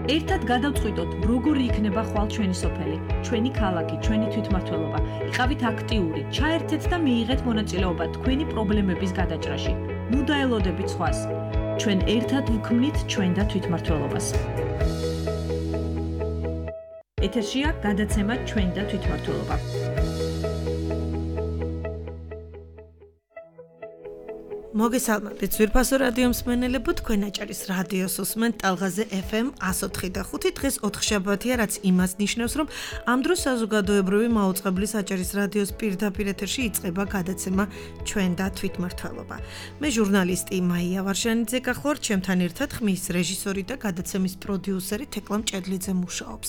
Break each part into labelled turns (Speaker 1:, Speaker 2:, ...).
Speaker 1: ერთად გადავწყვიტოთ, როგორი იქნება ხვალ ჩვენი სოფელი, ჩვენი ქალაქი, ჩვენი თვითმმართველობა. იყავით აქტიური, ჩაერთეთ და მიიღეთ მონაწილეობა თქვენი პრობლემების გადაჭრაში. ნუ დაელოდებით სხვას. ჩვენ ერთად ვქმნით ჩვენ და თვითმმართველობას. ეთერშია გადაცემა ჩვენ და თვითმმართველობა.
Speaker 2: მოგესალმებით ძვირფასო რადიო მსმენელებო, თქვენ აჭარის რადიოს უსმენთ ტალღაზე FM 104.5. დღეს 4 შაბათია, რაც იმას ნიშნავს, რომ ამ დროს საზოგადოებრივი მაუწყებლის აჭარის რადიოს პირდაპირ ეთერში იწყება გადაცემა ჩვენ და თვითმმართველობა. მე ჟურნალისტი მაია ვარშანიძე გახლავართ, ჩემთან ერთად ხმის რეჟისორი და გადაცემის პროდიუსერი თეკლა მჭედლიძე მუშაობს.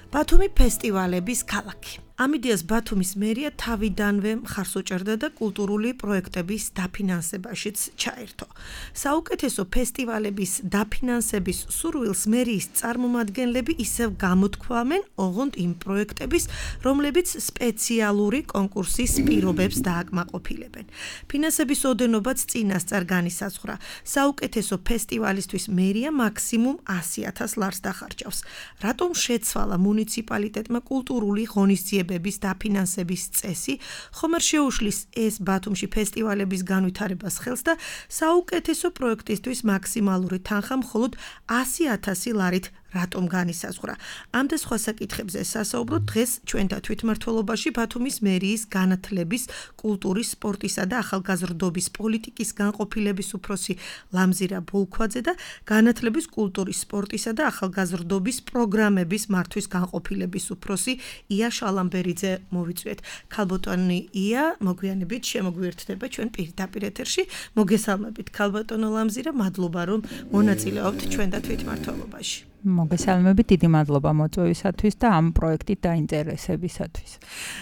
Speaker 2: ბათუმი ფესტივალების ქალაქი. ამ იდეას ბათუმის მერია თავიდანვე მხარს უჭერდა და კულტურული პროექტების დაფინანსებაშიც ჩაერთო. საუკეთესო ფესტივალების დაფინანსების სურვილს მერიის წარმომადგენლები ისევ გამოთქვამენ, ოღონდ იმ პროექტების, რომლებიც სპეციალური კონკურსის პირობებს დააკმაყოფილებენ. ფინანსების ოდენობაც წინასწარ განისაზღვრა. საუკეთესო ფესტივალისთვის მერია მაქსიმუმ 100,000 ლარს დახარჯავს. რატომ შეცვალა მუნიციპალიტეტმა კულტურული ღონისძიებების დაფინანსების წესი, ხომ არ შეუშლის ეს ბათუმში ფესტივალების განვითარებას ხელს და საუკეთესო პროექტისთვის მაქსიმალური თანხა მხოლოდ 100,000 ლარით რატომ განისაზღვრა. ამ და სხვა საკითხებზე სასაუბროთ დღეს ჩვენ და თვითმმართველობაში ბათუმის მერიის განათლების, კულტურის, სპორტისა და ახალგაზრდობის პოლიტიკის განყოფილების უფროსი ლამზირა ბოლქვაძე და განათლების, კულტურის, სპორტისა და ახალგაზრდობის პროგრამების მართვის განყოფილების უფროსი ია შალამბერიძე მოვიწვიეთ. ქალბატონი ია, მოგვიანებით შემოგვიერთდება ჩვენ პირდაპირ ეთერში. მოგესალმებით ქალბატონო ლამზირა, მადლობა რომ მონაწილეობთ ჩვენ და თვითმმართველობაში.
Speaker 3: მოგესალმებით, დიდი მადლობა მოწვევისათვის და ამ პროექტით დაინტერესებისათვის.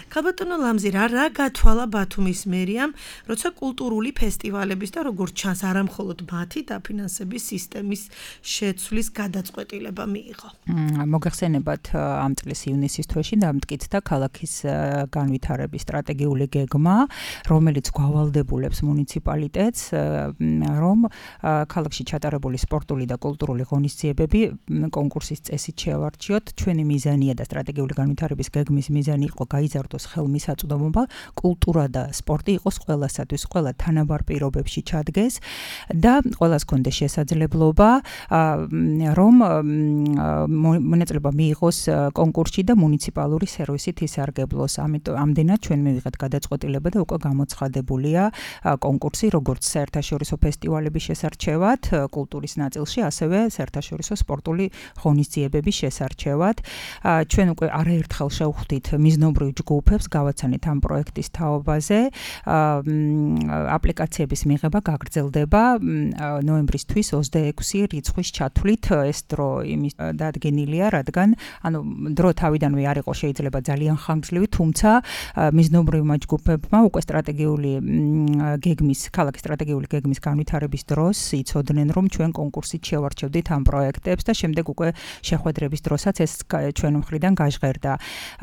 Speaker 2: ქალბატონო ლამზირა, რა გათვალა ბათუმის მერიამ, როცა კულტურული ფესტივალების და როგორც ჩანს, არა მხოლოდ მათი დაფინანსების სისტემის შეცვლის გადაწყვეტილება მიიღო.
Speaker 3: მოგეხსენებათ, ამ წლის ივნისის თვეში დამტკიცდა ქალაქის განვითარების სტრატეგიული გეგმა, რომელიც გვავალდებულებს მუნიციპალიტეტს, რომ ქალაქში ჩატარებული სპორტული და კულტურული ღონისძიებები კონკურსის წესით შევარჩიოთ. ჩვენი მიზანია და სტრატეგიული განვითარების გეგმის მიზანი იყო გაიზარდოს ხელმისაწვდომობა, კულტურა და სპორტი იყოს ყველასათვის, ყველა თანაბარ პირობებში ჩადგეს და ყველას კონდეს შესაძლებლობა, რომ მონაწილეობა მიიღოს კონკურსში და მუნიციპალური სერვისით ისარგებლოს. ამდენად ჩვენ მივიღეთ გადაწყვეტილება და უკვე გამოცხადებულია კონკურსი, როგორც საერთაშორისო ფესტივალების შესარჩევად, კულტურის ნაწილში, ასევე საერთაშორისო სპორტული ღონისძიებების შესარჩევად. ჩვენ უკვე არაერთხელ შევხვდით მიზნობრივ ჯგუფებს, გავაცანით ამ პროექტის თაობაზე. აპლიკაციების მიღება გაგრძელდება ნოემბრისთვის 26 რიცხვის ჩათვლით. ეს დრო იმის დადგენილია, რადგან დრო თავიდანვე არ იყო შეიძლება ძალიან ხანგრძლივი, თუმცა მიზნობრივმა ჯგუფებმა უკვე ქალაქის სტრატეგიული გეგმის განვითარების დროს იცოდნენ, რომ ჩვენ კონკურსით შევარჩევდით ამ პროექტებს და შემდეგ უკვე შეხვედრების დროსაც ეს ჩვენ მხრიდან გაჟღერდა.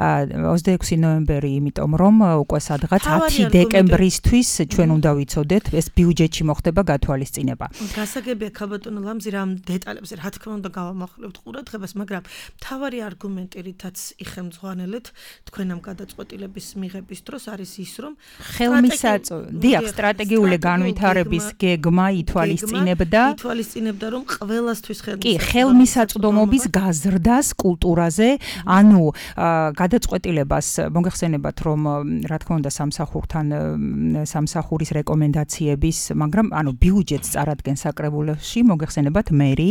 Speaker 3: 26 ნოემბერი, იმიტომ რომ უკვე სადღაც 10 დეკემბრისთვის ჩვენ უნდა ვიცოდეთ, ეს ბიუჯეტში მოხდება გათვალისწინება.
Speaker 2: გასაგებია ქალბატონო ლამზირა, ამ დეტალებზე რა თქმა უნდა გავამახვილებთ ყურადღებას, მაგრამ მთავარი არგუმენტი, რითაც იხელმძღვანელეთ თქვენ ამ გადაწყვეტილების მიღების დროს არის ის, რომ
Speaker 3: სტრატეგიული განვითარების გეგმა ითვალისწინებდა,
Speaker 2: რომ ყველასთვის
Speaker 3: ხელმისაწვდომობის გაზრდას კულტურაზე, ანუ გადაწყვეტილებას მოგეხსენებათ, რომ რა თქმა უნდა სამსახურის რეკომენდაციების, მაგრამ ბიუჯეტს წარადგენს საკრებულოში, მოგეხსენებათ მერი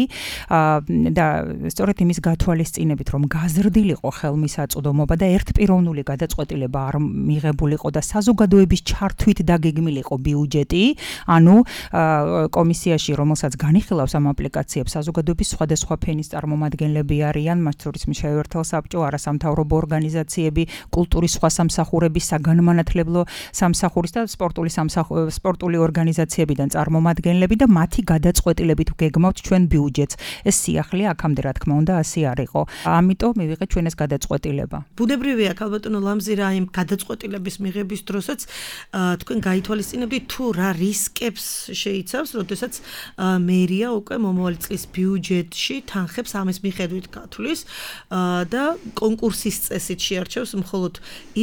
Speaker 3: და სწორედ იმის გათვალისწინებით, რომ გაზრდილიყო ხელმისაწვდომობა და ერთპიროვნული გადაწყვეტილება არ მიღებულიყო და საზოგადოების ჩართვით დაგეგმილიყო ბიუჯეტი, ანუ კომისიაში, რომელსაც განიხილავს ამ აპლიკაციებს, საზოგადოების სხვადასხვა ფენის წარმომადგენლები არიან, მათ შორის მშევერთელ საბჭო, არასამთავრობო ორგანიზაციები, კულტურის სხვა სამსახურების, საგანმანათლებლო სამსახურის და სპორტული ორგანიზაციებიდან წარმომადგენლები და მათი გადაწყვეტილებით გეგმავთ ჩვენ ბიუჯეტს. ეს სიახლეა აქამდე რა თქმა უნდა ასე არ იყო. ამიტომ მივიღეთ ჩვენ ეს გადაწყვეტილება.
Speaker 2: ბუნებრივია ქალბატონო ლამზირა, იმ გადაწყვეტილების მიღების დროსაც თქვენ გაითვალისწინებთ თუ რა რისკებს შეიცავს, როდესაც მერია უკვე მომავალი წლის ბიუჯეტში თანხებს პროექტებს ამის მიხედვით გათვლის და კონკურსის წესით შეარჩევს მხოლოდ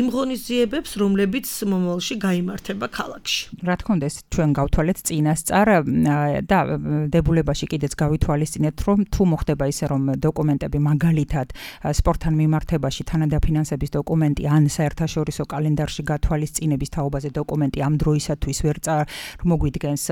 Speaker 2: იმ ღონისძიებებს, რომლებიც მომავალში გაიმართება ქალაქში.
Speaker 3: რა თქმა უნდა, ეს ჩვენ გავთვალეთ წინასწარ და დებულებაში კიდეც გავითვალისწინეთ, რომ თუ მოხდება ისე, რომ დოკუმენტები მაგალითად სპორტთან მიმართებაში თანადაფინანსების დოკუმენტი ან საერთაშორისო კალენდარში გათვალისწინების თაობაზე დოკუმენტი ამ დროისათვის ვერ მოგვიდგენს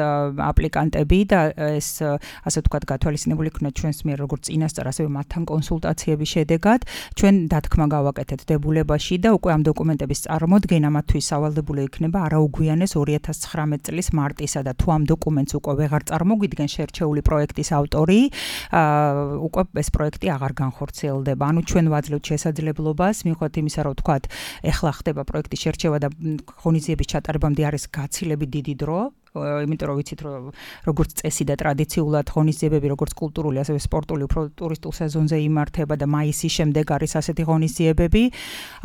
Speaker 3: აპლიკანტები და ეს ასე ვთქვათ გათვალისწინებული იქნება ჩვენს მიერ როგორც წინასწარ, ასევე მათთან კონსულტაციების შედეგად ჩვენ დათქმა გავაკეთეთ დებულებაში და უკვე ამ დოკუმენტების წარმოდგენა მათთვის სავალდებულო იქნება არაუგვიანეს 2019 წლის მარტისა და თუ ამ დოკუმენტს უკვე ვეღარ წარმოგვიდგენ შერჩეული პროექტის ავტორი, უკვე ეს პროექტი აღარ განხორციელდება. ანუ ჩვენ ვაძლევთ შესაძლებლობას, მიუხედავად იმისა, რომ ვთქვათ, ეხლა ხდება პროექტის შერჩევა და ღონისძიების ჩატარებამდე არის გაცილებით დიდი დრო, იმიტომ რომ ვიცით, რომ როგორც წესი და ტრადიციულად ღონისძიებები, როგორც კულტურული, ასევე სპორტული, უფრო ტურისტულ სეზონზე იმართება და მაისის შემდეგ არის ასეთი ღონისძიებები,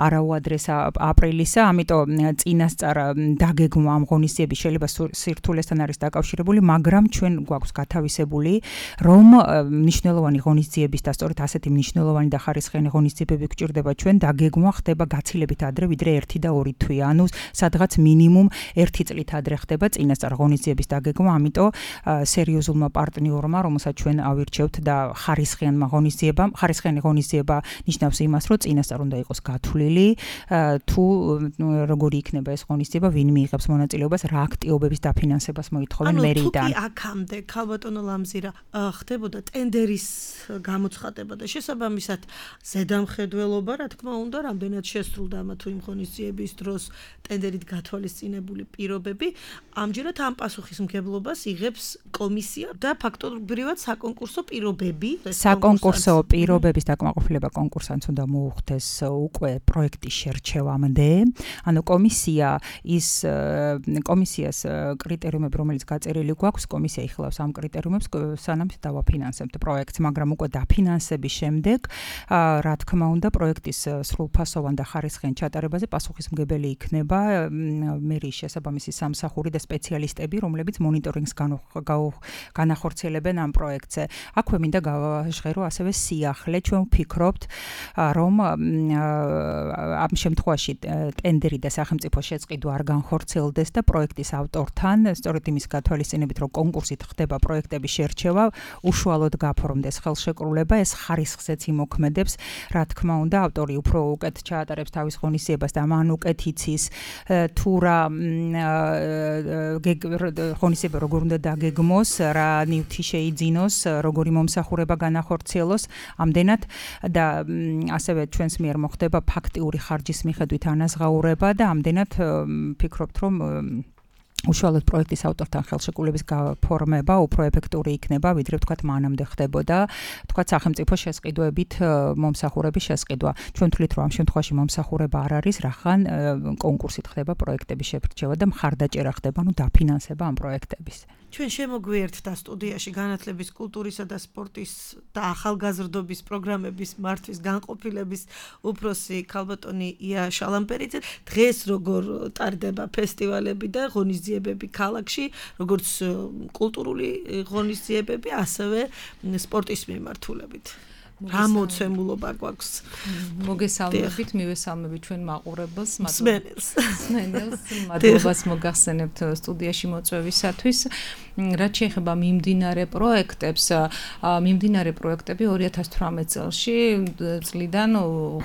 Speaker 3: არაუადრეს აპრილისა, ამიტომ წინასწარ დაგეგმვა ამ ღონისძიების შეიძლება სირთულესთან არის დაკავშირებული, მაგრამ ჩვენ გვაქვს გათავისებული, რომ მნიშვნელოვანი ღონისძიების და სწორედ ასეთი მნიშვნელოვანი და ხარისხიანი ღონისძიებები გვჭირდება ჩვენ, დაგეგმვა ხდება გაცილებით ადრე, ვიდრე 1 და 2 თვე, ანუ სადღაც მინიმუმ 1 წლით ადრე ხდება წინასწარ ღონისძიების დაგეგმვა, ამიტომ სერიოზულმა პარტნიორმა, რომელსაც ჩვენ ავირჩევთ და ხარისხიანი ღონისძიება ნიშნავს იმას, რომ წინასწარ უნდა იყოს გათვლილი, თუ როგორი იქნება ეს ღონისძიება, ვინ მიიღებს მონაწილეობას, რა აქტივობების დაფინანსებას მოითხოვენ მერიდან.
Speaker 2: ანუ თუ აქამდე ქალბატონო ლამზირა ხდებოდა ტენდერის გამოცხადება და შესაბამისად ზედამხედველობა, რა თქმა უნდა, რამდენად შესრულდა ამა თუ იმ ღონისძიების დროს ტენდერით გათვალისწინებული პირობები, ამჯერად ამ პასუხისმგებლობას იღებს კომისია და ფაქტობრივად საკონკურსო პირობები.
Speaker 3: საკონკურსო პირობების დაკმაყოფილება კონკურსანტს უნდა მოუხდეს უკვე პროექტის შერჩევამდე. ანუ კომისიას კრიტერიუმები, რომელიც გაწერილი გვაქვს, კომისია იხილავს ამ კრიტერიუმებს, სანამ დავაფინანსებთ პროექტს, მაგრამ უკვე დაფინანსების შემდეგ, რა თქმა უნდა, პროექტის სრულფასოვან და ხარისხიან ჩატარებაზე პასუხისმგებელი იქნება მერიის შესაბამისი სამსახური და სპეციალისტები, რომლებიც მონიტორინგს განახორციელებენ ამ პროექტზე. აქვე მინდა გავაჟღერო ასევე სიახლე, ჩვენ ვფიქრობთ, რომ ამ შემთხვევაში ტენდერი და სახელმწიფო შეწყიდვა არ განხორციელდეს და პროექტის ავტორთან, სწორედ იმის გათვალისწინებით, რომ კონკურსით ხდება პროექტების შერჩევა, უშუალოდ გაფორმდეს ხელშეკრულება, ეს ხარისხზეც იმოქმედებს, რა თქმა უნდა, ავტორი უფრო უკეთ ჩაატარებს თავის ღონისძიებას და მან უკეთ იცის თუ რა ღონისძიება როგორ უნდა დაგეგმოს, რა ნივთი შეიძინოს, როგორი მომსახურება განახორციელოს, ამდენად და ასევე ჩვენს მიერ მოხდება ფაქტიური ხარჯის მიხედვით ანაზღაურება და ამდენად ვფიქრობთ, რომ უშუალოდ პროექტის ავტორთან ხელშეკრულების გაფორმება უფრო ეფექტური იქნება, ვიდრე ვთქვათ მანამდე ხდებოდა, ვთქვათ სახელმწიფო შესყიდვებით მომსახურების შესყიდვა. ჩვენ ვთვლით, რომ ამ შემთხვევაში მომსახურება არ არის, რახან კონკურსით ხდება პროექტების შერჩევა და მხარდაჭერა ხდება, ანუ დაფინანსება ამ პროექტების.
Speaker 2: ჩვენ შემოგვიერთდა სტუდიაში განათლების, კულტურისა და სპორტის და ახალგაზრდობის პროგრამების მართვის განყოფილების უფროსი ქალბატონი ია შალამპერიძე. დღეს როგორ ტარდება ფესტივალები და ღონისძიებები ქალაქში, როგორც კულტურული ღონისძიებები, ასევე სპორტის მიმართულებით. რა მოცემულობა გვაქვს?
Speaker 4: მოგესალმებით, მივესალმებით ჩვენ მაყურებელს,
Speaker 2: მსმენელს.
Speaker 4: მადლობას მოგახსენებთ სტუდიაში მოწვევისათვის. რაც შეეხება მიმდინარე პროექტებს, მიმდინარე პროექტები 2018 წელში წლიდან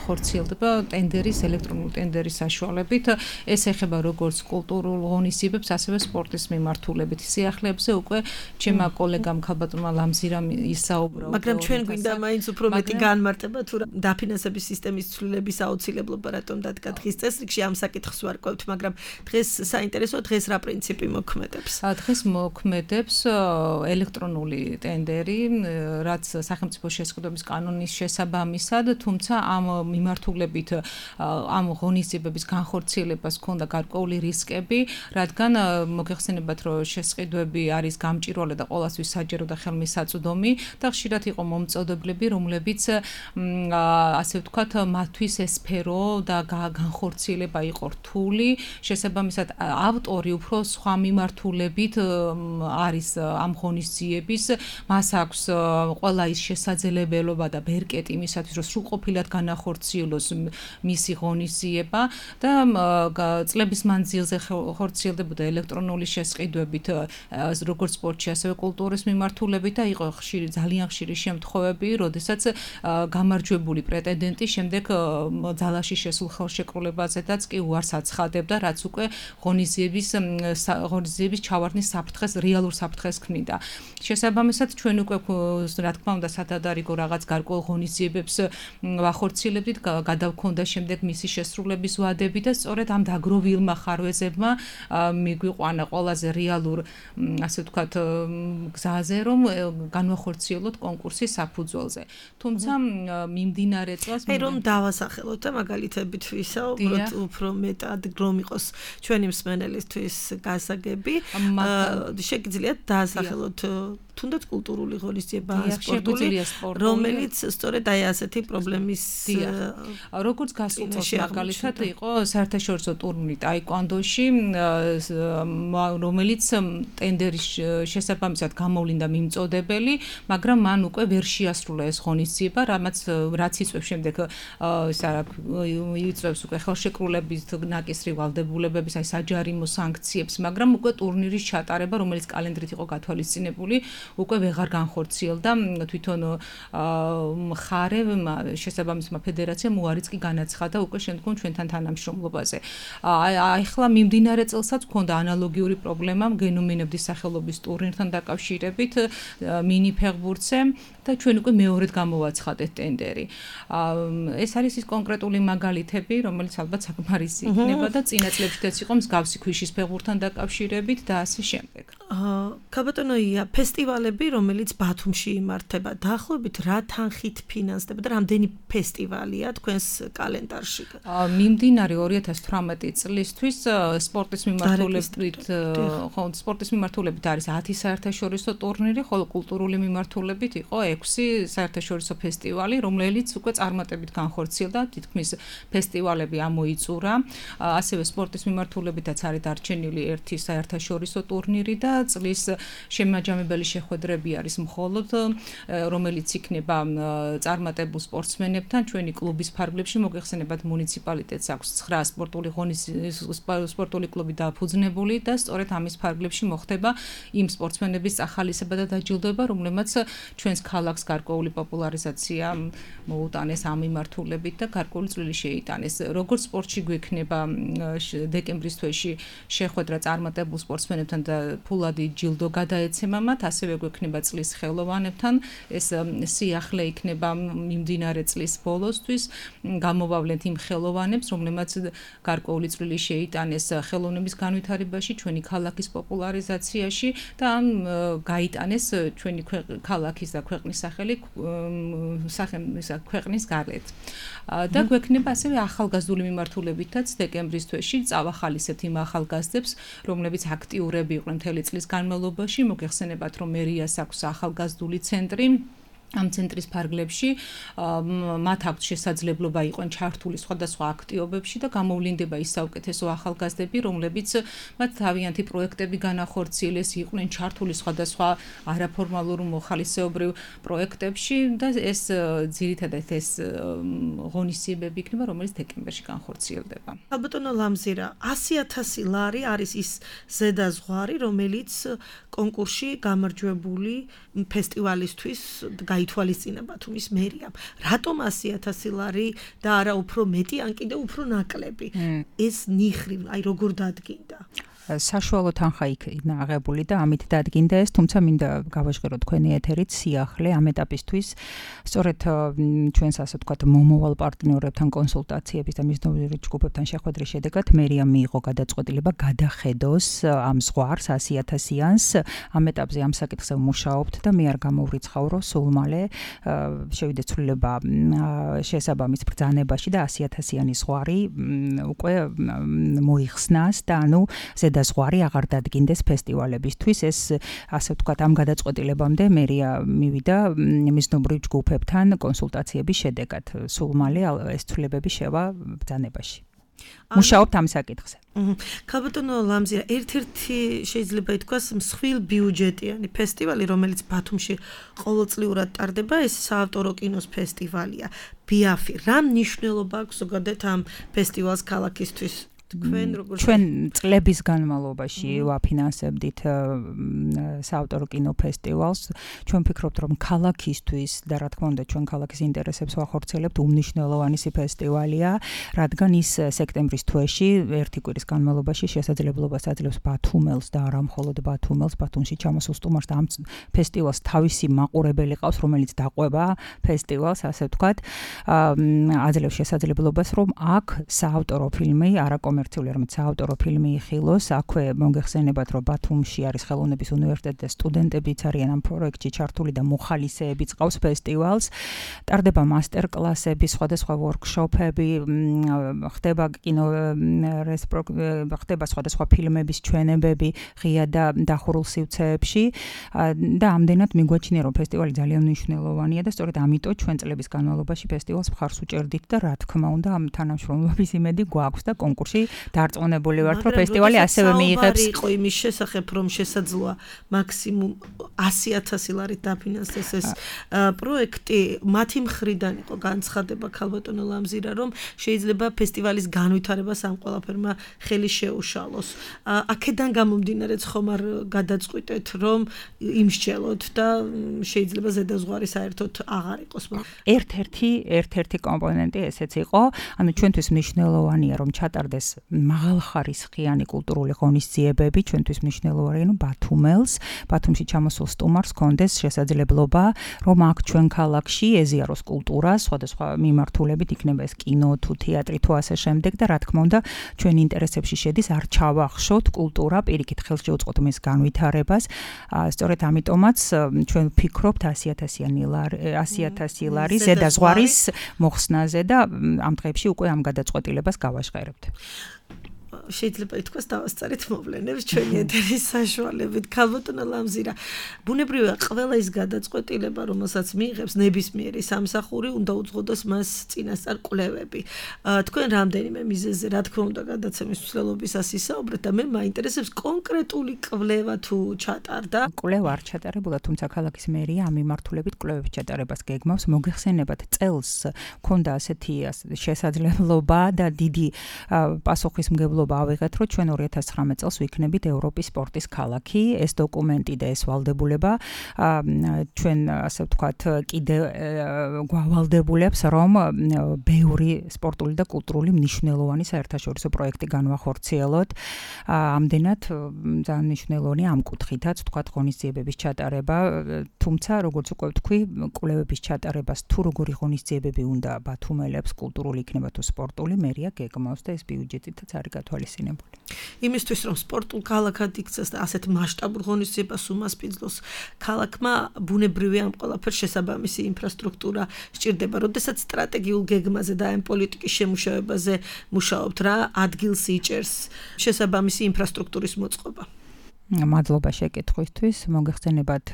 Speaker 4: ხორციელდება ტენდერის, ელექტრონული ტენდერის საშუალებით. ეს ეხება როგორც კულტურულ ღონისძიებებს, ასევე სპორტის მიმართულებით. სიახლეებზე უკვე ჩემმა კოლეგამ ქალბატონმა ლამზირამ ისაუბრა.
Speaker 2: მაგრამ ჩვენ გვინდა მაინც უფრო მეტი განმარტება თუ დაფინანსების სისტემის ცვლილების აუცილებლობა რატომ დადგა დღის წესრიგში, ამ საკითხს ვარკვევთ, მაგრამ დღეს საინტერესოა, დღეს რა პრინციპი მოქმედებს?
Speaker 4: დღეს მოქმედებს ელექტრონული ტენდერი, რაც სახელმწიფო შესყიდვების კანონის შესაბამისად, თუმცა ამ მიმართულებით ამ ღონისძიებების განხორციელებას ჰქონდა გარკვეული რისკები, რადგან მოგეხსენებათ, რომ შესყიდვები არის გამჭვირვალე და ყოველთვის საჯარო და ხელმისაწვდომი და ხშირად იყო მომწოდებლები, რომლებიც ასე ვთქვათ, მათთვის ეს სფერო და განხორციელება იყო რთული, შესაბამისად ავტორი უფრო სხვა მიმართულებით არის ამ ღონისძიების, მას აქვს ყველა ის შესაძლებლობა და ბერკეტი იმისათვის, რომ სრულყოფილად განახორციელოს მისი ღონისძიება და წლების მანძილზე ხორციელდებოდა ელექტრონული შესყიდვებით როგორც სპორტში, ასევე კულტურის მიმართულებით და იყო ძალიან ხშირი შემთხვევები, როდესაც გამარჯვებული პრეტენდენტი შემდეგ ძალაში შესულ ხელშეკრულებაზედაც კი უარს აცხადებდა, რაც უკვე ღონისძიების ჩავარდნის საფრთხეს, რეალურ საფრთხეს ქმნიდა. შესაბამისად, ჩვენ უკვე რა თქმა უნდა სადადარიგო რაღაც გარკვეულ ღონისძიებებს ვახორციელებდით, გადავქონდა შემდეგ მისი შესრულების ვადები და სწორედ ამ დაგროვილმა ხარვეზებმა მიგვიყვანა ყველაზე რეალურ, ასე ვთქვათ, გზაზე, რომ განვახორციელოთ კონკურსი საფუძველზე. თუმცა მიმდინარე წელს
Speaker 2: რომ დავასახელოთ და მაგალითებით ვისაუბროთ უფრო მეტად რომ იყოს ჩვენი მსმენელისთვის გასაგები, შეგიძლიათ დაასახელოთ თუნდაც კულტურული ღონისძიება, სპორტული, რომელიც სწორედ აი ასეთი პრობლემის
Speaker 4: როგორც გასულ წელს მაგალითად იყო საერთაშორისო ტურნირი ტაიკვანდოში, რომელიც ტენდერის შესაბამისად გამოვლინდა მიმწოდებელი, მაგრამ მან უკვე ვერ შეასრულა ეს ღონისძიება, რაც იწვევს შემდეგ იწვევს უკვე ხელშეკრულების ნაკისრი ვალდებულებების, აი საჯარიმო სანქციებს, მაგრამ უკვე ტურნირის ჩატარება, რომელიც კალენდრით იყო გათვალისწინებული, უკვე ვეღარ განხორციელდა თვითონ მხარე შესაბამისმა ფედერაციამ უარიც კი განაცხადა უკვე შემდგომ ჩვენთან თანამშრომლობაზე. ახლა მიმდინარე წელსაც ჰქონდა ანალოგიური პრობლემა გენომინებდის სახელობის ტურნირთან დაკავშირებით მინი ფეხბურთზე და ჩვენ უკვე მეორედ გამოვაცხადეთ ტენდერი. ეს არის ის კონკრეტული მაგალითები, რომელიც ალბათ საკმარისი იქნება და წინა წლებშიც იყო მსგავსი ქვიშის ფეხბურთთან დაკავშირებით და ასე შემდეგ.
Speaker 2: ქაბატონო ია, ფესტივალები, რომელიც ბათუმში იმართება, დაახლოებით რა თანხით ფინანსდება და რამდენი ფესტივალია თქვენს კალენდარში?
Speaker 4: მიმდინარე 2018 წლისთვის სპორტის მიმართულებით არის 10 საერთაშორისო ტურნირი, ხოლო კულტურული მიმართულებით იყო 6 საერთაშორისო ფესტივალი, რომელიც უკვე წარმატებით განხორციელდა, თითქმის ფესტივალები ამოიწურა. ასევე სპორტის მიმართულებითაც არის დარჩენილი 1 საერთაშორისო ტურნირი და წლის შემაჯამებელი შეხვედრები არის მხოლოდ, რომელიც იქნება წარმატებულ სპორტსმენებთან. ჩვენი კლუბის ფარგლებში მოგეხსენებათ მუნიციპალიტეტს აქვს 9 სპორტული კლუბი დაფუძნებული და სწორედ ამის ფარგლებში მოხდება იმ სპორტსმენების ახალისება და დაჯილდოება, რომლებმაც ჩვენს ქალაქს გარკვეული პოპულარიზაცია მოუტანეს ამ მიმართულებით და გარკვეული წვლილი შეიტანეს. როგორც სპორტში გვექნება დეკემბრის თვეში შეხვედრა წარმატებულ სპორტსმენებთან და ფულადი ჯილდო გადაეცემა მათ, ასევე გვექნება წლის ხელოვანებთან. ეს სიახლე იქნება მიმდინარე წლის ბოლოსთვის. გამოვავლენთ იმ ხელოვანებს, რომლებმაც გარკვეული წვლილი შეიტანეს ხელოვნების განვითარებაში, ჩვენი ქალაქის პოპულარიზაციაში და გაიტანეს ჩვენი ქალაქის და ქვეყნის სახელი ქვეყნის გარეთ. და გვექნება ასევე ახალგაზრდული მიმართულებითაც დეკემბრის თვეში წავახალისებთ იმ ახალგაზრდებს, რომლებიც აქტიურები იყვნენ მთელი წლის განმავლობაში. მოგეხსენებათ, რომ მერიას აქვს ახალგაზრდული ცენტრი. ამ ცენტრის ფარგლებში მათ აქვს შესაძლებლობა იყვნენ ჩართული სხვადასხვა აქტივობებში და გამოვლინდება ის საუკეთესო ახალგაზრდები, რომლებიც მათ თავიანთი პროექტები განახორციელეს, იყვნენ ჩართული სხვადასხვა არაფორმალურ მოხალისეობრივ პროექტებში და ეს ძირითადად ეს ღონისძიებები იქნება, რომელიც დეკემბერში განხორციელდება.
Speaker 2: ალბათონო ლამზირა, 100,000 ლარი არის ის ზედაზღვარი, რომელიც კონკურსში გამარჯვებული ფესტივალისთვის გაითვალისწინება თუმის მერიამ. რატომ 100,000 ლარი და არა უფრო მეტი, ან კიდე უფრო ნაკლები? ეს ნიხვი, აი როგორ დადგინდა?
Speaker 3: საშუალო თანხა იქნა აღებული და ამით დადგინდა ეს, თუმცა მინდა გავაჟღეროთ თქვენი ეთერით სიახლე ამ ეტაპისთვის. სწორედ ჩვენს ასე ვთქვათ მომავალ პარტნიორებთან კონსულტაციების და მიზნობრივ ჯგუფებთან შეხვედრის შედეგად მერიამ მიიღო გადაწყვეტილება გადახედოს ამ ზღვარს 100,000-იანს. ამ ეტაპზე ამ საკითხზე ვმუშაობთ და მე არ გამოვრიცხავ, რომ სულ მალე შევიდე ცვლილება შესაბამის ბრძანებაში და 100,000-იანი ზღვარი უკვე მოიხსნას და ანუ ზედაზღვარი აღარ დადგინდეს ფესტივალებისთვის. ეს ასე ვთქვათ, ამ გადაწყვეტილებამდე მერია მივიდა მიზნობრივ ჯგუფებთან კონსულტაციების შედეგად. სულ მალე ეს ცვლილებები შევა ბრძანებაში. მუშაობთ ამ საკითხზე.
Speaker 2: ქალბატონო ლამზია, ერთ-ერთი შეიძლება ითქვას მსხვილ ბიუჯეტიანი ფესტივალი, რომელიც ბათუმში ყოველწლიურად ტარდება, ეს საავტორო კინოს ფესტივალია. ბიაფი, რა მნიშვნელობა აქვს ზოგადად ამ ფესტივალს ქალაქისთვის?
Speaker 3: ჩვენ წლების განმავლობაში ვაფინანსებდით საავტორო კინო ფესტივალს. ჩვენ ვფიქრობთ, რომ ქალაქისთვის და რა თქმა უნდა ჩვენ ქალაქის ინტერესებს ვახორციელებთ, უმნიშვნელოვანესი ფესტივალია, რადგან ის სექტემბრის თვეში ერთი კვირის განმავლობაში შესაძლებლობას აძლევს ბათუმელს და არა მხოლოდ ბათუმელს, ბათუმში ჩამოსულ სტუმარს და ამ ფესტივალს თავისი მაყურებელი ყავს, რომელიც დაყვება ფესტივალს, ასე ვთქვათ, აძლევს შესაძლებლობას, რომ აქ საავტორო ფილმი არაკომერციული, რომელიც საავტორო ფილმი იხილოს, აქვე მოგეხსენებათ, რომ ბათუმში არის ხელოვნების უნივერსიტეტი და სტუდენტებიც არიან ამ პროექტში ჩართული და მოხალისეებიც ყავს ფესტივალს. ტარდება მასტერკლასები, სხვადასხვა ვორქშოპები, ხდება კინო ხდება სხვადასხვა ფილმების ჩვენებები ღია და დახურულ სივრცეებში და ამდენად მიგვაჩნია, რომ ფესტივალი ძალიან მნიშვნელოვანია და სწორედ ამიტომ ჩვენ წლების განმავლობაში ფესტივალს მხარს უჭერდით და რა თქმა უნდა ამ თანამშრომლობის იმედი გვაქვს და კონკურსში დარწმუნებული ვართ, რომ ფესტივალი ასევე მიიღებს.
Speaker 2: იყო იმის შესახებ, რომ შესაძლოა მაქსიმუმ 100,000 ლარით დაფინანსდეს ეს პროექტი, მათი მხრიდან იყო განცხადება ქალბატონო ლამზირა, რომ შეიძლება ფესტივალის განვითარებას ამ ყველაფერმა ხელი შეუშალოს. აქედან გამომდინარეც ხომ არ გადაწყვიტეთ, რომ იმსჯელოთ და შეიძლება ზედაზღვარი საერთოდ აღარ იყოს.
Speaker 3: ერთ-ერთი კომპონენტი ესეც იყო, ანუ ჩვენთვის მნიშვნელოვანია, რომ ჩატარდეს მაღალხარისხიანი კულტურული ღონისძიებები, ჩვენთვის მნიშვნელოვანია, რომ ბათუმში ჩამოსულ სტუმარს ჰქონდეს შესაძლებლობა, რომ აქ ჩვენ ქალაქში ეზიაროს კულტურა, სხვადასხვა მიმართულებით, იქნება ეს კინო თუ თეატრი თუ ასე შემდეგ და რა თქმა უნდა, ჩვენ ინტერესებში შედის არ ჩავახშოთ კულტურა, პირიქით ხელს შევუწყოთ მის განვითარებას. სწორედ ამიტომაც ჩვენ ვფიქრობთ 100,000 ლარი ზედაზღვარის მოხსნაზე და ამ დღეებში უკვე ამ გადაწყვეტილებას გავაჟღერებთ.
Speaker 2: შეიძლება ითქვას დავასწარით მოვლენებს ჩვენი ეთერის საშუალებით. ქალბატონო ლამზირა, ბუნებრივია ყველა ის გადაწყვეტილება, რომელსაც მიიღებს ნებისმიერი სამსახური, უნდა უძღოდოს მას წინასწარ კვლევები. თქვენ რამდენიმე მიზეზზე, რა თქმა უნდა, გადაცემის მსვლელობისას ისაუბრეთ და მე მაინტერესებს კონკრეტული კვლევა თუ ჩატარდა.
Speaker 3: კვლევა არ ჩატარებულა, თუმცა ქალაქის მერია ამ მიმართულებით კვლევების ჩატარებას გეგმავს. მოგეხსენებათ, წელს ჰქონდა ასეთი შესაძლებლობა და დიდი პასუხისმგებლობა ავიღეთ, რომ ჩვენ 2019 წელს ვიქნებით ევროპის სპორტის ქალაქი. ეს დოკუმენტი და ეს ვალდებულება ჩვენ ასე ვთქვათ კიდე გვავალდებულებს, რომ ბევრი სპორტული და კულტურული მნიშვნელოვანი საერთაშორისო პროექტი განვახორციელოთ. ამდენად ძალიან მნიშვნელოვანია ამ კუთხითაც ვთქვათ ღონისძიებების ჩატარება, თუმცა როგორც უკვე ვთქვი, კვლევების ჩატარებას თუ როგორი ღონისძიებები უნდა ბათუმელებს, კულტურული იქნება თუ სპორტული, მერია გეგმავს და ეს ბიუჯეტითაც არის გათვალისწინებული.
Speaker 2: იმისთვის რომ სპორტულ ქალაქად იქცეს და ასეთ მასშტაბურ ღონისძიებას უმასპინძლოს, ქალაქმა ბუნებრივია ამ ყველაფერს შესაბამისი ინფრასტრუქტურა სჭირდება. როდესაც სტრატეგიულ გეგმაზე და ამ პოლიტიკის შემუშავებაზე მუშაობთ, რა ადგილს იჭერს შესაბამისი ინფრასტრუქტურის მოწყობა?
Speaker 3: მადლობა შეკითხვისთვის. მოგეხსენებათ,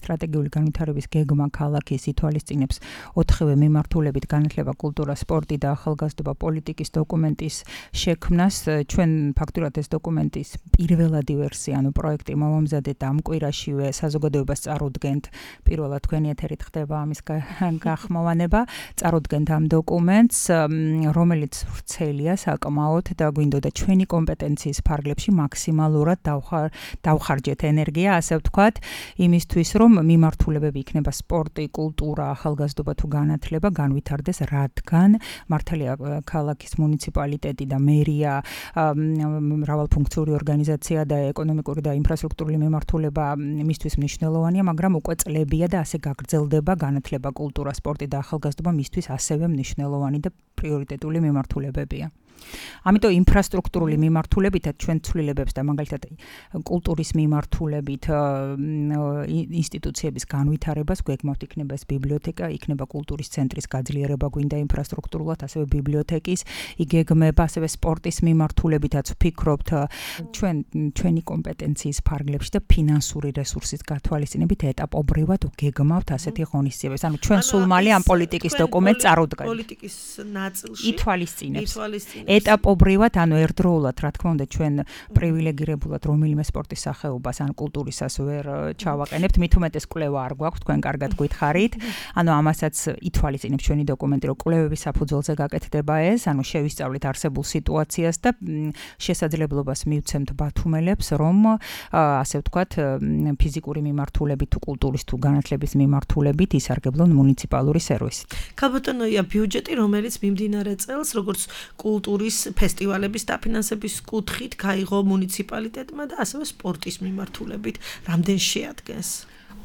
Speaker 3: სტრატეგიული განვითარების გეგმა ქალაქის ითვალისწინებს 4 მიმართულებით განათლება, კულტურა, სპორტი და ახალგაზრდობა პოლიტიკის დოკუმენტის შექმნას. ჩვენ ფაქტურად ეს დოკუმენტის პირველადი ვერსია, ანუ პროექტი მოვამზადეთ ამ კვირაშივე საზოგადოებას წარუდგენთ. პირველად თქვენი ეთერით ხდება ამის გახმოვანება. წარუდგენთ ამ დოკუმენტს, რომელიც ვრცელია საკმაოდ და გვინდოდა ჩვენი კომპეტენციის ფარგლებში მაქსიმალურად დავხარჯეთ ენერგია, ასე ვთქვათ, იმისთვის, რომ მიმართულებები იქნება სპორტი, კულტურა, ახალგაზრდობა თუ განათლება განვითარდეს, რადგან მართალია ქალაქის მუნიციპალიტეტი და მერია, მრავალფუნქციური ორგანიზაცია და ეკონომიკური და ინფრასტრუქტურული მიმართულება მისთვის მნიშვნელოვანია, მაგრამ უკვე წლებია და ასე გაგრძელდება განათლება, კულტურა, სპორტი და ახალგაზრდობა მისთვის ასევე მნიშვნელოვანი და პრიორიტეტული მიმართულებებია. ამიტომ ინფრასტრუქტურული მიმართულებითაც ჩვენ ცვლილებებს და მაგალითად კულტურის მიმართულებით ინსტიტუციების განვითარებას გვეგმავთ, იქნება ეს ბიბლიოთეკა, იქნება კულტურის ცენტრის გაძლიერება გვინდა ინფრასტრუქტურულად, ასევე ბიბლიოთეკის იგეგმება, ასევე სპორტის მიმართულებითაც ვფიქრობთ ჩვენი კომპეტენციის ფარგლებში და ფინანსური რესურსის გათვალისწინებით ეტაპობრივად ვგეგმავთ ასეთი ღონისძიებებს. ანუ ჩვენ სულ მალე ამ პოლიტიკის დოკუმენტს წარუდგენთ.
Speaker 2: პოლიტიკის ნაწილში
Speaker 3: ითვალისწინებს. ეტაპობრივად, ანუ ერთდროულად, რა თქმა უნდა, ჩვენ პრივილეგირებულად რომელიმე სპორტის სახეობას ან კულტურისას ვერ ჩავაყენებთ, მით უმეტეს კვლევა არ გვაქვს, თქვენ კარგად გითხარით. ანუ ამასაც ითვალისწინებს ჩვენი დოკუმენტი, რომ კვლევების საფუძველზე გაკეთდება ეს, ანუ შევისწავლით არსებულ სიტუაციას და შესაძლებლობას მივცემთ ბათუმელებს, რომ ასე ვთქვათ, ფიზიკური მიმართულებით თუ კულტურის თუ განათლების მიმართულებით ისარგებლონ მუნიციპალური სერვისით.
Speaker 2: ქალბატონოია ბიუჯეტი, რომელიც მიმდინარე წელს, როგორც კულტურის ფესტივალების დაფინანსების კუთხით გაიღო მუნიციპალიტეტმა და ასევე სპორტის მიმართულებით, რამდენ შეადგენს?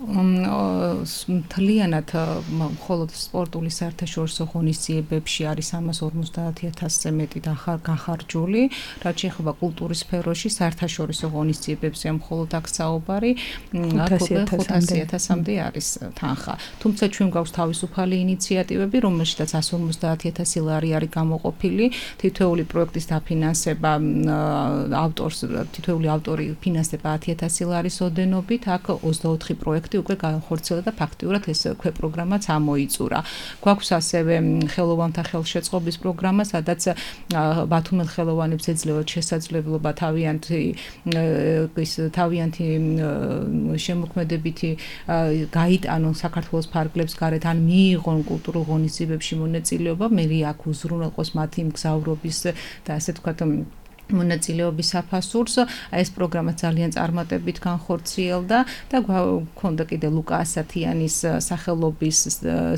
Speaker 4: მთლიანად მხოლოდ სპორტული საერთაშორისო ღონისძიებებში არის 350,000-ზე მეტი განხარჯული, რაც შეეხება კულტურის სფეროში საერთაშორისო ღონისძიებებზეა მხოლოდ აქ საუბარი 500,000-მდე არის თანხა. თუმცა ჩვენ გვაქვს თავისუფალი ინიციატივები, რომელშიც 150,000 ლარი არის გამოყოფილი, თითოეული პროექტის დაფინანსება თითოეული ავტორი ფინანსდება 10,000 ლარის ოდენობით, აქ 24 პროექტი უკვე განხორციელდა და ფაქტიურად ეს პროგრამაც ამოიწურა. გვაქვს ასევე ხელოვანთა ხელშეწყობის პროგრამა, სადაც ბათუმელ ხელოვანებს ეძლევათ შესაძლებლობა თავიანთი შემოქმედებითი გაიტანონ საქართველოს ფარგლებს გარეთ ან მიიღონ კულტურულ ღონისძიებებში მონაწილეობა, მე აქ უზრუნველყოს მათი მგზავრობის და ასე ვთქვათ მონაწილეობის საფასურს. ეს პროგრამა ძალიან წარმატებით განხორციელდა და გვქონდა კიდე ლუკა ასათიანის სახელობის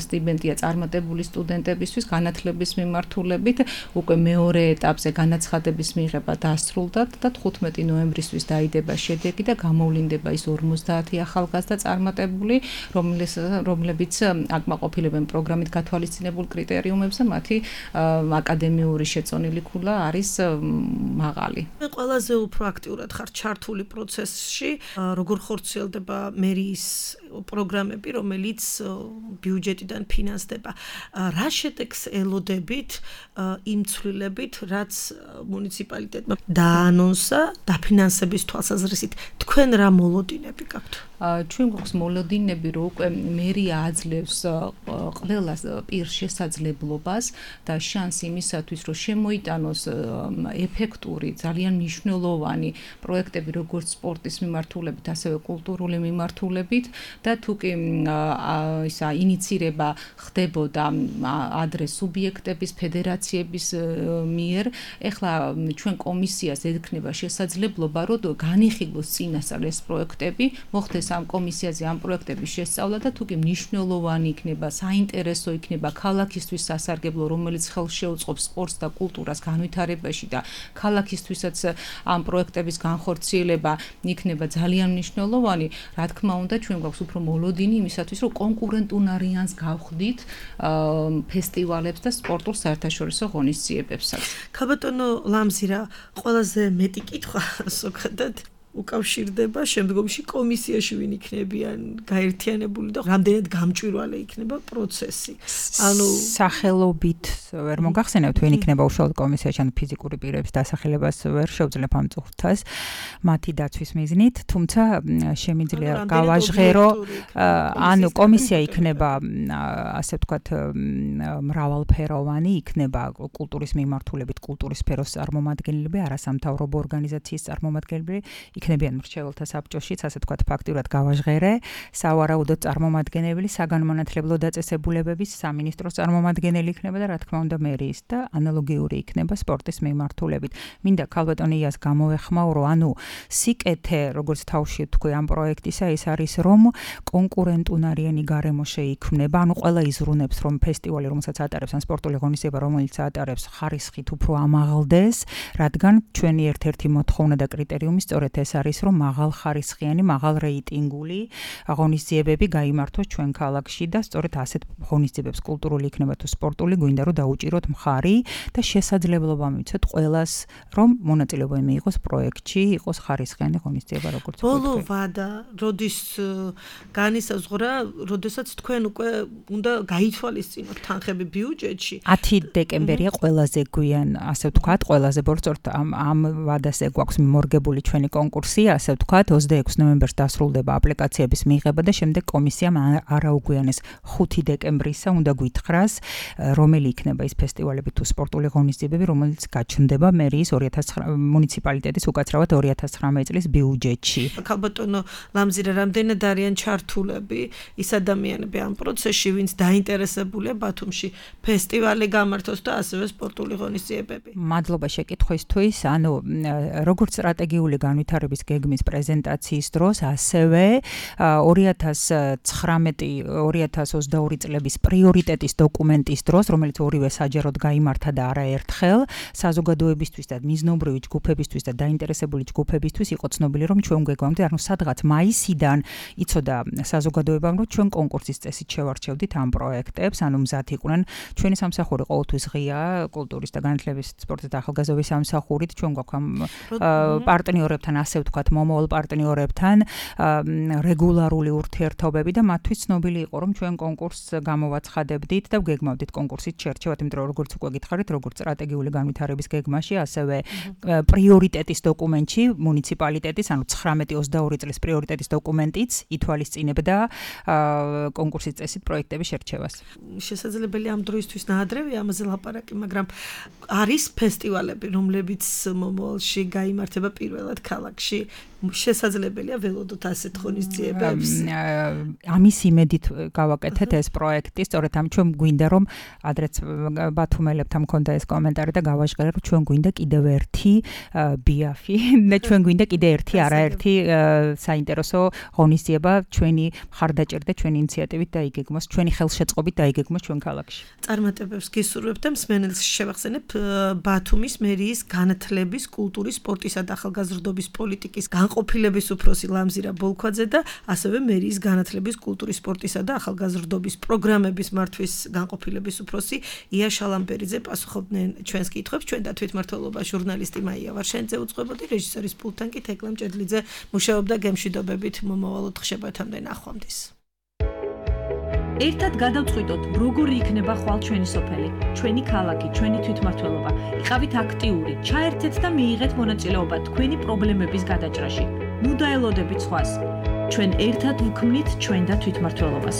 Speaker 4: სტიპენდია წარმატებული სტუდენტებისთვის განათლების მიმართულებით. უკვე მეორე ეტაპზე განაცხადების მიღება დასრულდა და 15 ნოემბრისთვის დაიდება შედეგი და გამოვლინდება ის 50 ახალგაზრდა წარმატებული, რომლებიც აკმაყოფილებენ პროგრამით გათვალისწინებულ კრიტერიუმებს და მათი აკადემიური შეწონილი ქულა არის მაღალი.
Speaker 2: მე ყველაზე უფრო აქტიურად ხარ ჩართული პროცესში, როგორ ხორციელდება მერიის პროგრამები, რომელიც ბიუჯეტიდან ფინანსდება. რა შედეგს ელოდებით იმ ცვლილებით, რაც მუნიციპალიტეტმა დაანონსა დაფინანსების თვალსაზრისით, თქვენ რა მოლოდინები გაქვთ?
Speaker 4: ჩვენ გვაქვს მოლოდინები, რომ უკვე მერია აძლევს ყველა პირს შესაძლებლობას და შანსი იმისათვის, რომ შემოიტანოს ეფექტური, ძალიან მნიშვნელოვანი პროექტები, როგორც სპორტის მიმართულებით, ასევე კულტურული მიმართულებით და თუკი ისა ინიცირება ხდებოდა ადრე სუბიექტების, ფედერაციების მიერ, ეხლა ჩვენ კომისიას ექნება შესაძლებლობა, რომ განიხილოს წინასწარ ეს პროექტები, მოხდეს ამ კომისიაზე ამ პროექტების შესწავლა და თუკი მნიშვნელოვანი იქნება, საინტერესო იქნება ქალაქისთვის სასარგებლო, რომელიც ხელს შეუწყობს სპორტს და კულტურას განვითარებაში და ქალაქისთვისაც ამ პროექტების განხორციელება იქნება ძალიან მნიშვნელოვანი, რა თქმა უნდა, ჩვენ გვაქვს უფრო მოლოდინი იმისათვის, რომ კონკურენტუნარიანს გავხდით ფესტივალებს და სპორტულ საერთაშორისო ღონისძიებებსაც.
Speaker 2: ქალბატონო ლამზირა, ყველაზე მეტი კითხვა ზოგადად უკავშირდება შემდგომში კომისიაში ვინ იქნებიან გაერთიანებული და რამდენად გამჭვირვალე იქნება პროცესი. ანუ
Speaker 3: სახელობით ვერ მოგახსენებთ ვინ იქნება უშუალოდ კომისიაში, ანუ ფიზიკური პირების დასახელებას ვერ შევძლებ ამ წუთას მათი დაცვის მიზნით, თუმცა შემიძლია გავაჟღერო, ანუ კომისია იქნება ასე ვთქვათ მრავალფეროვანი, იქნება კულტურის მიმართულებით კულტურის სფეროს წარმომადგენლები, არასამთავრობო ორგანიზაციის წარმომადგენლები, იქნებიან მრჩეველთა საბჭოშიც, ასე ვთქვათ, ფაქტიურად გავაჟღერე, სავარაუდოდ წარმომადგენელი, საგანმანათლებლო დაწესებულებების სამინისტროს წარმომადგენელი იქნება და რა თქმა უნდა მერიის და ანალოგიური იქნება სპორტის მიმართულებით. მინდა ქალბატონიას გამოვეხმაურო, ანუ სიკეთე, როგორც თავში თქვი ამ პროექტისა, ეს არის რომ კონკურენტუნარიანი გარემო შეიქმნება, ანუ ყველა იზრუნებს რომ ფესტივალი, რომელსაც ატარებს ან სპორტული ღონისძიება, რომელიც ატარებს, ხარისხით უფრო ამაღლდეს, რადგან ჩვენი ერთ-ერთი მოთხოვნა და კრიტერიუმი სწორედ ეს არის, რომ მაღალხარისხიანი, მაღალ რეიტინგული ღონისძიებები გაიმართოს ჩვენ ქალაქში და სწორედ ასეთ ღონისძიებებს კულტურული იქნება თუ სპორტული გვინდა რომ დაუჭიროთ მხარი და შესაძლებლობა მივცეთ ყველას რომ მონაწილეობა მიიღოს პროექტში, იყოს ხარისხიანი ღონისძიება როგორც
Speaker 2: ბოლო ვადა, როდის განისაზღვრა, როდესაც თქვენ უკვე უნდა გაითვალისწინოთ თანხები ბიუჯეტში.
Speaker 3: 10 დეკემბერია ყველაზე გვიან, ასე ვთქვათ, ყველაზე ბორცორთ ამ ვადაზე გვაქვს მორგებული ჩვენი კონკურსი, ასე ვთქვათ, 26 ნოემბერს დასრულდება აპლიკაციების მიღება და შემდეგ კომისიამ არაუგვიანეს 5 დეკემბრისა უნდა გვითხრას, რომელი იქნება ის ფესტივალები თუ სპორტული ღონისძიებები, რომელიც გაჩნდება მერიის მუნიციპალიტეტის უკაცრავად 2019 წლის ბიუჯეტში.
Speaker 2: ქალბატონო ლამზირა, რამდენად არიან ჩართულები ის ადამიანები ამ პროცესში, ვინც დაინტერესებულია ბათუმში ფესტივალი გამართოს და ასევე სპორტული ღონისძიებები.
Speaker 3: მადლობა შეკითხვისთვის. ანუ როგორც სტრატეგიული განვითარების გეგმის პრეზენტაციის დროს, ასევე 2019-2022 წლების პრიორიტეტის დოკუმენტის დროს, რომელიც ორივე საჯაროდ გაიმართა და არაერთხელ, საზოგადოებისთვის და მიზნობრივი ჯგუფებისთვის და დაინტერესებული ჯგუფებისთვის იყო ცნობილი, რომ ჩვენ გვეგვამდე, ანუ სადღაც მაისიდან იცოდა საზოგადოებამ, რომ ჩვენ კონკურსის წესით შევარჩევდით ამ პროექტებს, ანუ მზად იყვნენ. ჩვენი სამსახური ყოველთვის ღია, კულტურის და განათლების, სპორტის და ახალგაზრდობის სამსახურით, ჩვენ გვაქვს ამ პარტნიორებთან, ასე ვთქვათ, მომავალ პარტნიორებთან რეგულარული ურთიერთობები და მათთვის ცნობილი იყო, რომ ჩვენ კონკურსს გამოვაცხადებდით და გეგმავდით კონკურსით შერჩევათ, იმიტომ რომ როგორც უკვე გითხარით, როგორც სტრატეგიული განვითარების გეგმაში, ასევე პრიორიტეტის დოკუმენტში მუნიციპალიტეტის, ანუ 19-22 წლის პრიორიტეტის დოკუმენტიც ითვალისწინებდა კონკურსის წესით პროექტების შერჩევას.
Speaker 2: შესაძლებელი ამ დროისთვის ნაადრევია ამაზე ლაპარაკი, მაგრამ არის ფესტივალები, რომლებიც მომავალში გაიმართება პირველად ქალაქში. შესაძლებელია ველოდოთ ასეთ ღონისძიებებს.
Speaker 3: ამის იმედით გავაკეთეთ ეს პროექტი, სწორედ ამ ჩვენ გვინდა რომ ადრეც ბათუმელებთან მქონდა ეს კომენტარი და გავაჟღერე რომ ჩვენ გვინდა კიდევ ერთი ბიაფი და ჩვენ გვინდა კიდევ ერთი არაერთი საინტერესო ღონისძიება ჩვენი მხარდაჭერით და ჩვენი ინიციატივით დაიგეგმოს, ჩვენი ხელშეწყობით დაიგეგმოს ჩვენ ქალაქში.
Speaker 2: წარმატებებს გისურვებთ და მსმენელს შევახსენებ ბათუმის მერიის განათლების, კულტურის, სპორტისა და ახალგაზრდობის პოლიტიკის განყოფილების უფროსი ლამზირა ბოლქვაძე და ასევე მერიის განათლების, კულტურის, სპორტისა და ახალგაზრდობის პროგრამების მართვის განყოფილების უფროსი ია შალამბერიძე პასუხობდნენ ჩვენს კითხვებს. ჩვენ და თვითმმართველობა ჟურნალისტი მაია ვარშენიძე უწყებოდი, რეჟისორის პულტთან კი თეკლა მჭედლიძე მუშაობდა გემშვიდობებით მომავალ ოთხშაბათამდე ნახვამდის.
Speaker 1: ერთად გადავწყვიტოთ, როგორი იქნება ხვალ ჩვენი სოფელი, ჩვენი ქალაქი, ჩვენი თვითმმართველობა. იყავით აქტიური, ჩაერთეთ და მიიღეთ მონაწილეობა თქვენი პრობლემების გადაჭრაში. ნუ დაელოდებით სხვას. ჩვენ ერთად ვქმნით ჩვენ და თვითმმართველობას.